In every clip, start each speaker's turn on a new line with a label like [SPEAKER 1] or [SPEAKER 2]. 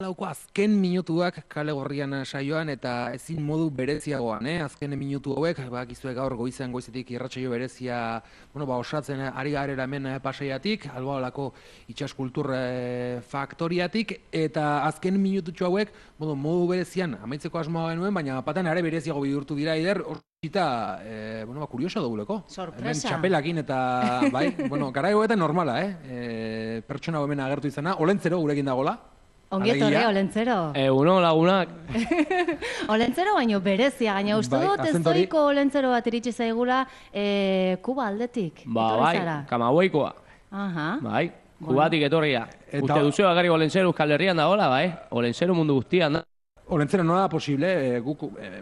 [SPEAKER 1] Lauko azken minutuak kale gorrian saioan eta ezin modu bereziagoan, azken minutu hauek, bakizue gaur goizean goizetik irratsaio berezia, osatzen ari garela hemen Pasaiatik, Albaolako itsas kultur faktoriatik, eta azken minututxo hauek, modu berezian amaitzeko asmoa genuen, baina paten are bereziago bihurtu dira eider, eta, kurioso duguleko.
[SPEAKER 2] Sorpresa.
[SPEAKER 1] Hemen txapelakin eta, bai, garaigoetan normala, pertsona hemen agertu izana, Olentzero gurekin dagola.
[SPEAKER 2] Ongietorri, Olentzero.
[SPEAKER 3] Uno lagunak.
[SPEAKER 2] Olentzero baino berezia, gaina uste dut ez doiko Olentzero bat iritsi zaigula Kuba aldetik.
[SPEAKER 3] Bai, Kamaboikoa. Bai, Kubatik etorria. Uste duzu bakarrik Olentzero Euskal Herrian da hola, bai? Olentzero mundu guztian da.
[SPEAKER 1] Olentzero nola da posible, guk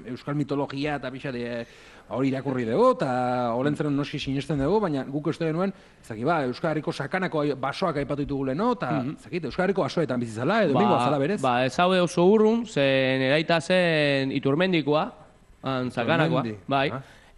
[SPEAKER 1] euskal mitologia eta pixate hori irakurri dugu, eta Olentzero noski sinesten dugu, baina guk uste genuen, Euskal Herriko sakanako basoak aipatu ditugu leheno, eta Euskal Herriko basoetan bizizala, edo bingoa zala berez?
[SPEAKER 3] Ez haude oso urrun, zen eraita zen Iturmendikoa, sakanakoa, bai.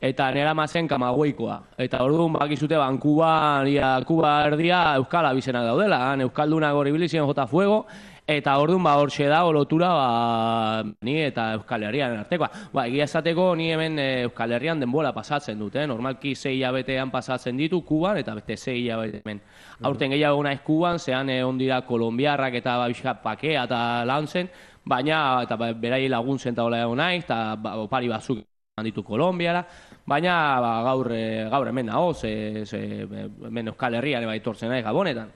[SPEAKER 3] Eta nera mazen Kamagoikoa. Eta orduan bakizute Kuba erdia Euskal abizenak daudela, Euskaldunak hori bilizien jota fuego, eta orduan horxe da lotura ni eta Euskal Herrian artekoa. Egia esateko ni hemen Euskal Herrian denbola pasatzen dut, normalki 6 hilabetean pasatzen ditu Kuban eta beste 6 hilabete hemen. Aurten gehiago naiz Kuban, zean ondira kolombiarrak eta pakea eta lan zen, baina eta berai laguntzen eta hola egon naiz, eta opari batzuk ditu Kolombiara, baina gaur hemen nago, hemen Euskal Herrian etortzen naiz Gabonetan.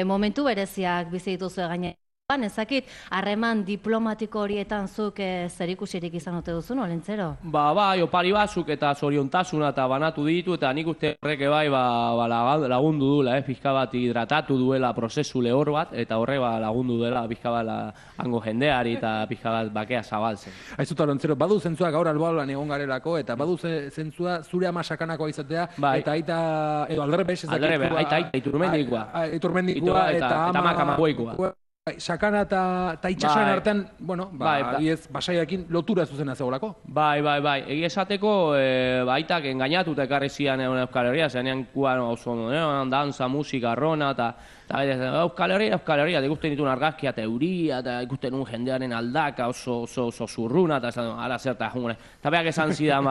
[SPEAKER 2] Momentu bereziak bizi dituzu gaine. Ezakit, harreman diplomatiko horietan zuk zerikusirik izan ote duzun, Olentzero?
[SPEAKER 3] Bai, opari batzuk eta zoriontasuna eta banatu ditu, eta nik uste horrek bai lagundu duela, pixka bat hidratatu duela prozesu lehor bat, eta horre lagundu duela pixka bat hango jendeari eta pixka bat bakea zabaltzen.
[SPEAKER 1] Aizuta, Olentzero, badu zentzua gaur Albaolan egon garelako, eta badu zentzua zure ama sakanakoa izatea, eta aita, edo aldrebes,
[SPEAKER 3] aita, Iturmendikoa eta ama Kamagoikoa.
[SPEAKER 1] Sakana eta itxasoen artean, Pasaiakin lotura zuzena zegoelako? Bai.
[SPEAKER 3] Egia esateko, aitak engainatuta ekarri zian Euskal Herria, zenean kuan oso danza, musika, rona, eta Euskal Herria, ikusten dituen argazkia eta euria, eta ikusten un jendearen aldaka oso zurruna, eta ara zerta jungune. Eta behak esan zidan,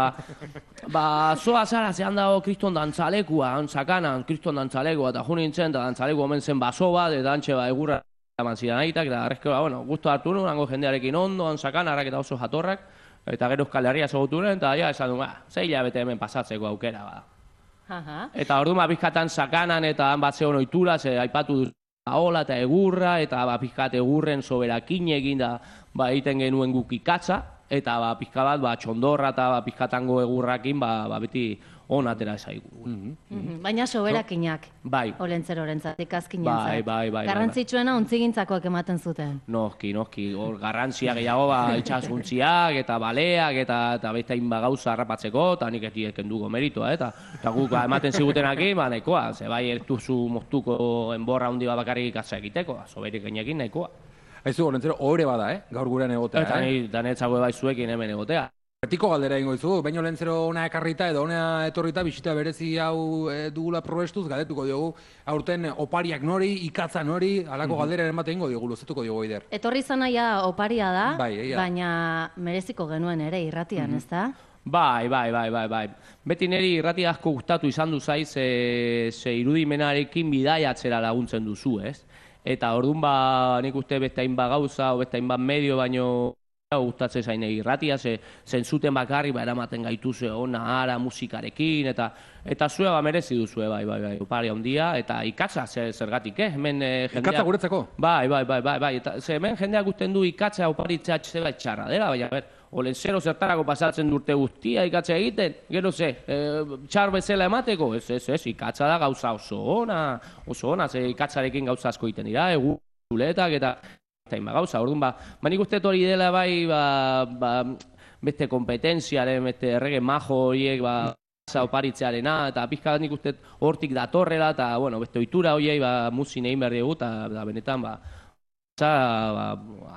[SPEAKER 3] zoa zara zehan dago kriston dantzalekua, sakanan kriston dantzalekua, eta jun nintzen, eta dantzalekua omen zen baso bat, eta antxe egurra eman zidan aitak, eta arrezkera, guztu hartu nuen, hango jendearekin ondo, sakanarrak eta oso jatorrak, eta gero Euskal Herria zogutu nuen, eta esan duen, 6 hilabete hemen pasatzeko aukera, Eta orduan bizkatan sakanan eta han bat zeon oitura, aipatu dut hola eta egurra, eta bizkat egurren soberakin egin da egiten genuen guk ikatza, eta pizka bat txondorra eta pizkatango egurrakin beti on atera zaigu.
[SPEAKER 2] Baina soberakinak, Olentzerorentzat, azkinentzat.
[SPEAKER 3] Bai.
[SPEAKER 2] Garrantzitsuena ontzigintzako ematen zuten.
[SPEAKER 3] Noski, hor garrantzia gehiago itxasuntziak eta baleak eta beste hainba gauza harrapatzeko, eta nik ez dieken dugu meritoa, eta guk ematen zigutenak nahikoa, ze bai ez duzu moztuko enborra handi bat bakarrik ikatza egiteko, soberikenekin nahikoa.
[SPEAKER 1] Aizu, Olentzero, ohore bada, gaur gurean egotea,
[SPEAKER 3] Eta netzago bai zuekin hemen egotea.
[SPEAKER 1] Betiko galdera ingo izu, baina Olentzero ona ekarrita edo ona etorrita bisita berezi hau dugula probestuz, galdetuko diogu, aurten opariak nori, ikatza nori, alako galdera ematen ingo diogu, luzetuko diogu eider.
[SPEAKER 2] Etorri zanaia oparia da, baina mereziko genuen ere irratian, ez da?
[SPEAKER 3] Bai. Beti niri irrati asko gustatu izan du zaiz, ze irudimenarekin bidaiatzera laguntzen duzu, ez? Eta orduan nik uste beste hainbat gauza, beste hainbat medio, baino gustatzen zain irratia, zentzuten bakarri eramaten gaituze ona, ara, musikarekin, eta zuea merezi duzue, bai, opari handia, eta ikatza zergatik, hemen jendea...
[SPEAKER 1] Ikatza guretzako?
[SPEAKER 3] Bai, eta hemen jendeak gusten du ikatza oparitzea zeba txarra dela, baina, Olentzero zertarako pasatzen durte guztia ikatza egiten, gero txar bezala emateko, ez, ikatza da gauza oso ona, ikatzarekin gauza asko egiten dira, zuletak eta gauza, orduan nik uste hori dela bai beste kompetentziaren, beste errege majo horiek oparitzearena, eta pizka nik uste hortik datorrela, eta beste ohitura horiei muzin egin behar dugu, eta benetan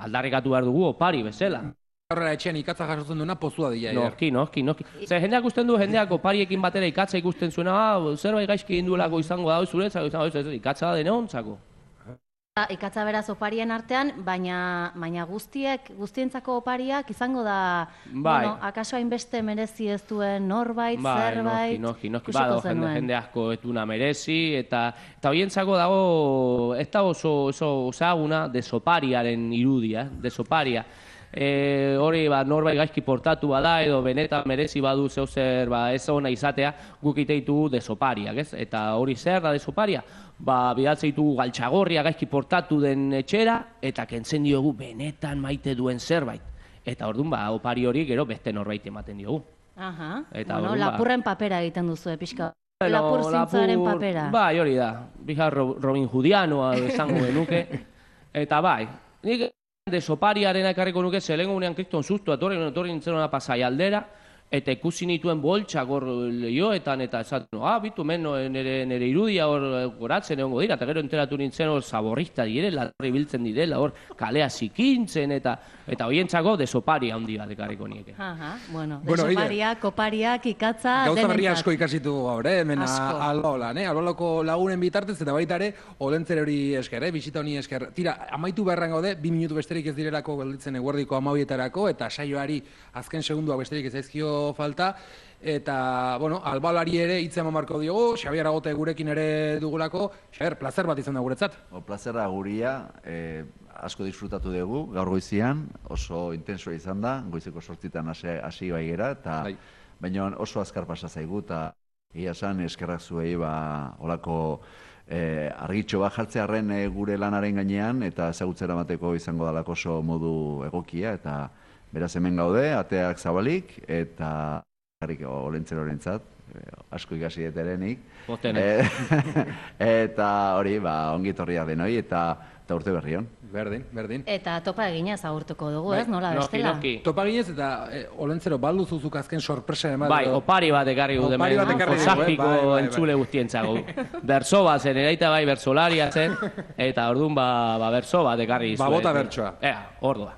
[SPEAKER 3] aldarrikatu behar dugu opari bezala.
[SPEAKER 1] Horrela etxean ikatza jasotzen duena pozua dira.
[SPEAKER 3] Noski. Zer, jendeak usten du, jendeak opariekin batera ikatza ikusten zuena, zerbait gaizki egin duelako izango da, zuretzako, ikatza da dene ontzako.
[SPEAKER 2] Ikatza beraz oparien artean, baina guztientzako opariak izango da, bueno, akaso hainbeste merezi ez duen norbait, zerbait,
[SPEAKER 3] ikusiko zenuen. Jende asko ez duena merezi, eta horientzako dago, ez da oso ezaguna desopariaren irudia, desoparia. Hori norbait gaizki portatu bada edo benetan merezi badu zeuzer ez ona izatea, guk iteitu desopariak, ez? Eta hori zer da desoparia? Bidaltzen ditugu galtxagorria gaizki portatu den etxera eta kentzen diogu benetan maite duen zerbait. Eta orduan opari hori gero beste norbait ematen diogu.
[SPEAKER 2] Bueno, lapurren papera egiten duzu, pixka. Lapur zintzaren papera.
[SPEAKER 3] Bai, hori da. Bizar Robin Hoodianoa esango genuke. Eta bai, nik desopariaren ekarriko nuke zelengo unean kriston sustu, etorri nintzen hona Pasai aldera, eta ikusi nituen boltsak hor lehioetan, eta esaten, bitu men nire irudia hor goratzen egongo dira, eta gero enteratu nintzen hor zaborrista direla, horri biltzen direla, hor kalea zikintzen, eta horientzako desoparia handi bat ekarriko nieke.
[SPEAKER 2] Bueno, desoparia, kopariak, ikatza,
[SPEAKER 1] gauza berri asko ikasitu gaur, hemen Albaolan, Albaolako lagunen bitartez, eta baita ere, Olentzer hori esker, bisita honi esker. Tira, amaitu beharren gaude, 2 minutu besterik ez direlako gelditzen eguerdiko 12etarako, eta saioari azken segunduak besterik ez zaizkio falta, eta, bueno, Albaolari ere hitza eman marko diogu, Xabier Agote gurekin ere dugulako. Xabier, plazer bat izan da guretzat.
[SPEAKER 4] Plazerra guria, asko disfrutatu dugu, gaur goizian, oso intensoa izan da, goizeko 8etan hasi bai gera, eta baina oso azkar pasa zaigu, eta egia esan eskerrak zuei olako argitxo bat jartzearen gure lanaren gainean, eta ezagutzera mateko izango dalako oso modu egokia, eta beraz hemen gaude, ateak zabalik, eta Olentzer horentzat, asko ikasi deterenik. Eta hori, ongi torria denoi, eta urte berri hon.
[SPEAKER 1] Berdin.
[SPEAKER 2] Eta topa eginez agurtuko dugu, ez? Nola bestela?
[SPEAKER 1] Topa eginez, eta Olentzero, baldu zuzuk azken sorpresa eman.
[SPEAKER 3] Bai, opari bat ekarri gu demen, Zazpiko entzule guztientzago. Berso bat zen, eraita bai bersolaria zen, eta orduan berso bat ekarri izue.
[SPEAKER 1] Bota bertsoa.
[SPEAKER 3] Ordua.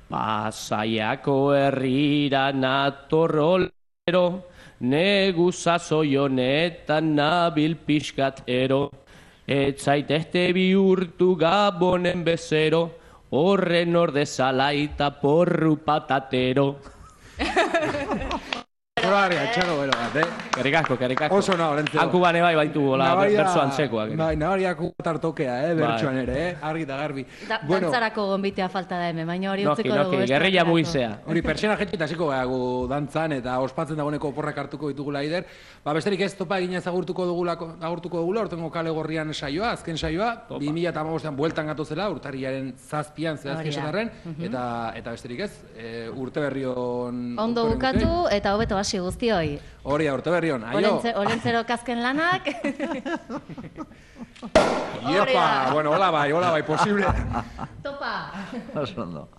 [SPEAKER 3] Pasaiako herrira natorrolero, negu sasoi honetan nabil pixkatero, ez zaitezte bihurtu Gabonen bezero, horren ordezala eta porru patatero.
[SPEAKER 1] Txaro bero bat,
[SPEAKER 3] Kerikazko.
[SPEAKER 1] Oso Olentzero.
[SPEAKER 3] Hanku bane bai baitu gola, bertso antzekoak.
[SPEAKER 1] Bai, nabariako tartokea, bertsoan ere, argi eta garbi.
[SPEAKER 2] Dantzarako gonbitea falta da hemen, baina hori utziko dugu.
[SPEAKER 3] Gerrilla muizea.
[SPEAKER 1] Hori, pertsena jetxit hasiko gaiago dantzan eta ospatzen dagoeneko oporrak hartuko ditugula ider. Besterik ez topa eginez agurtuko dugula, ortengo kale gorrian saioa, azken saioa, 2015an bueltan gatozela, urtarriaren 7an zehazki esatarren, eta besterik ez, urte berri hon...
[SPEAKER 2] Ondo bukatu eta hobeto hasi guztioi.
[SPEAKER 1] Hori urte berri hon, aio!
[SPEAKER 2] Olentzero kasken lanak.
[SPEAKER 1] Iepa, bueno, hola bai, posible.
[SPEAKER 2] Topa!
[SPEAKER 4] Oso ondo.